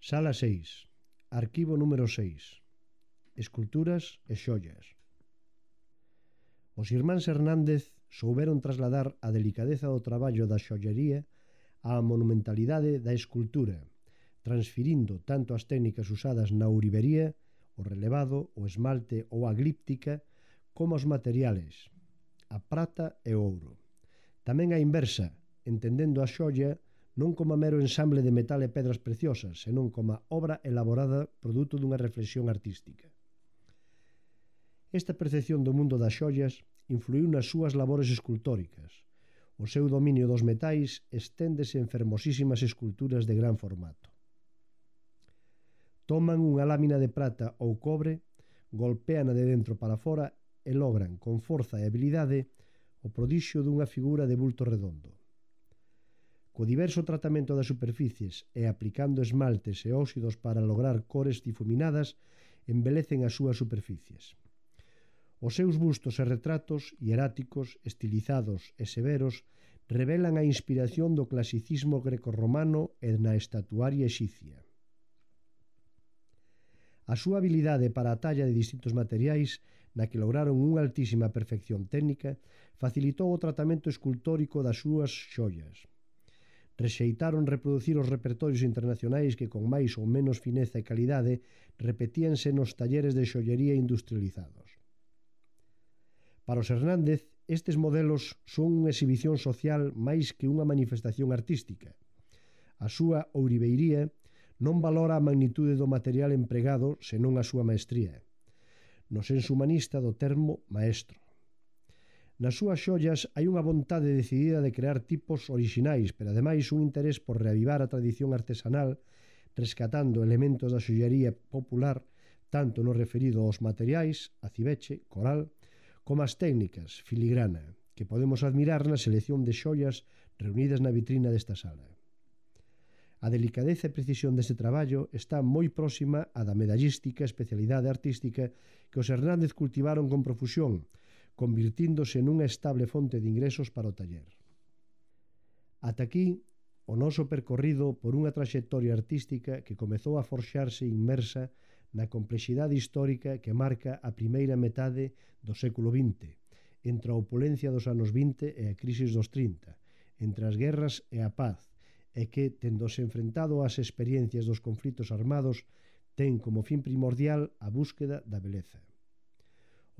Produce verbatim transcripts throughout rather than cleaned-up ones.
Sala seis. Arquivo número seis. Esculturas e xollas. Os irmáns Hernández souberon trasladar a delicadeza do traballo da xollería á monumentalidade da escultura, transfirindo tanto as técnicas usadas na ourivería, o relevado, o esmalte ou a glíptica, como os materiales, a prata e o ouro. Tamén a inversa, entendendo a xolla non como mero ensamble de metal e pedras preciosas, senón como obra elaborada produto dunha reflexión artística. Esta percepción do mundo das xollas influiu nas súas labores escultóricas. O seu dominio dos metais esténdese en fermosísimas esculturas de gran formato. Toman unha lámina de prata ou cobre, golpéana de dentro para fora e logran, con forza e habilidade, o prodixio dunha figura de bulto redondo. Co diverso tratamento das superficies e aplicando esmaltes e óxidos para lograr cores difuminadas, embelecen as súas superficies. Os seus bustos e retratos, hieráticos, estilizados e severos, revelan a inspiración do clasicismo grecorromano e na estatuaria exicia. A súa habilidade para a talla de distintos materiais, na que lograron unha altísima perfección técnica, facilitou o tratamento escultórico das súas xollas. Rexeitaron reproducir os repertorios internacionais que con máis ou menos fineza e calidade repetíanse nos talleres de xollería industrializados. Para os Hernández, estes modelos son unha exhibición social máis que unha manifestación artística. A súa ouriveiría non valora a magnitude do material empregado senón a súa maestría, no senso humanista do termo maestro. Nas súas xollas hai unha vontade decidida de crear tipos orixinais, pero ademais un interés por reavivar a tradición artesanal, rescatando elementos da xollería popular, tanto no referido aos materiais, aciveche, coral, como as técnicas, filigrana, que podemos admirar na selección de xollas reunidas na vitrina desta sala. A delicadeza e precisión deste traballo está moi próxima á da medallística, especialidade artística que os Hernández cultivaron con profusión, convirtíndose nunha estable fonte de ingresos para o taller. Ata aquí, o noso percorrido por unha traxectoria artística que comezou a forxarse inmersa na complexidade histórica que marca a primeira metade do século vinte, entre a opulencia dos anos vinte e a crisis dos trinta, entre as guerras e a paz, e que, tendose enfrentado ás experiencias dos conflitos armados, ten como fin primordial a búsqueda da beleza.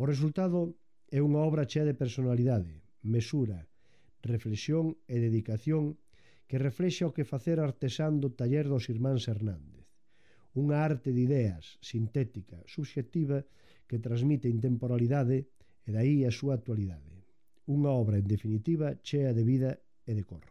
O resultado é unha obra chea de personalidade, mesura, reflexión e dedicación que reflexa o que facer artesán do taller dos irmáns Hernández. Unha arte de ideas, sintética, subxectiva, que transmite intemporalidade e dai a súa actualidade. Unha obra, en definitiva, chea de vida e de cor.